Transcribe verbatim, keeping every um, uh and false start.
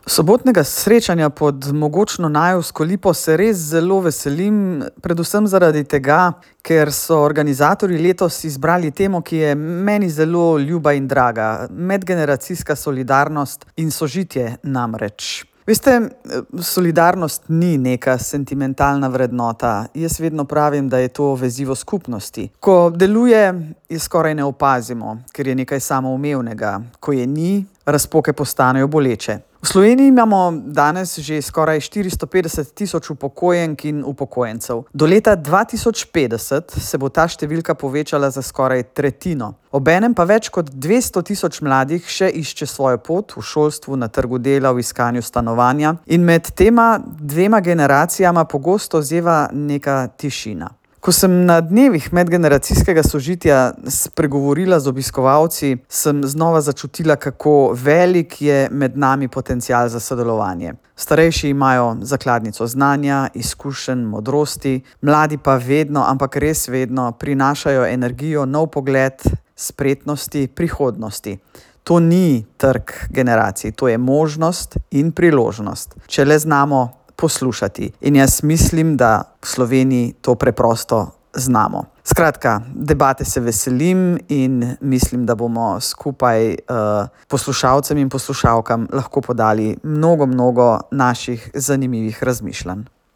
Sobotnega srečanja pod mogočno Najevsko lipo se res zelo veselim, predvsem zaradi tega, ker so organizatorji letos izbrali temo, ki je meni zelo ljuba in draga. Medgeneracijska solidarnost in sožitje namreč. Veste, solidarnost ni neka sentimentalna vrednota. Jaz vedno pravim, da je to vezivo skupnosti. Ko deluje, je skoraj ne opazimo, ker je nekaj samoumevnega. Ko je ni, razpoke postanejo boleče. V Sloveniji imamo danes že skoraj štiristo petdeset tisoč upokojenk in upokojencev. Do leta dva tisoč petdeset se bo ta številka povečala za skoraj tretjino. Obenem pa več kot dvesto tisoč mladih še išče svojo pot v šolstvu, na trgu dela, v iskanju stanovanja in med tema dvema generacijama pogosto zeva neka tišina. Ko sem na dnevih medgeneracijskega sožitja spregovorila z obiskovalci, sem znova začutila, kako velik je med nami potencial za sodelovanje. Starejši imajo zakladnico znanja, izkušenj, modrosti, mladi pa vedno, ampak res vedno prinašajo energijo, nov pogled, spretnosti, prihodnosti. To ni trg generacij, to je možnost in priložnost, če le znamo poslušati. In jaz mislim, da v Sloveniji to preprosto znamo. Skratka, debate se veselim in mislim, da bomo skupaj uh, poslušalcem in poslušalkam lahko podali mnogo, mnogo naših zanimivih razmišljanj.